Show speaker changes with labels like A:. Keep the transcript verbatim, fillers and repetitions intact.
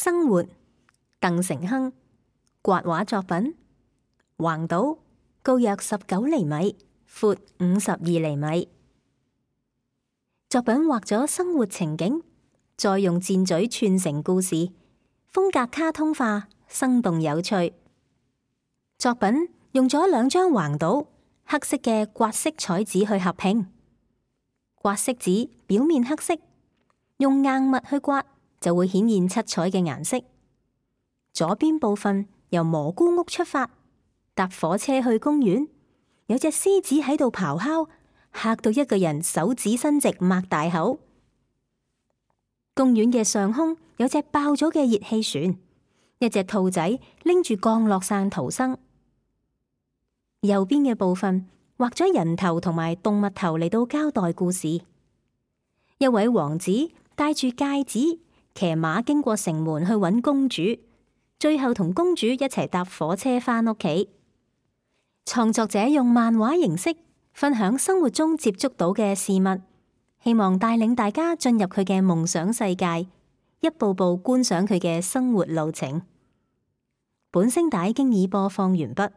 A: 生活，鄧成亨，刮畫作品，橫島，高約十九厘米，闊五十二厘米。作品畫咗生活情景，再用箭嘴串成故事，風格卡通化，生動有趣。作品用咗兩張橫島黑色嘅刮色彩紙去合拼，刮色紙表面黑色，用硬物去刮就會顯現七彩嘅顏色。左邊部分由蘑菇屋出發，搭火車去公園，有隻獅子喺度咆哮，嚇到一個人手指伸直擘大口。公園嘅上空有隻爆咗嘅熱氣船，一隻兔仔拎住降落傘逃生。右邊嘅部分畫咗人頭同埋動物頭嚟到交代故事。一位王子戴住戒指，騎馬經過城門去揾公主，最後同公主一齊搭火車返屋企。創作者用漫畫形式分享生活中接觸到嘅事物，希望帶領大家進入佢嘅夢想世界，一步步觀賞佢嘅生活路程。本聲帶經已播放完畢。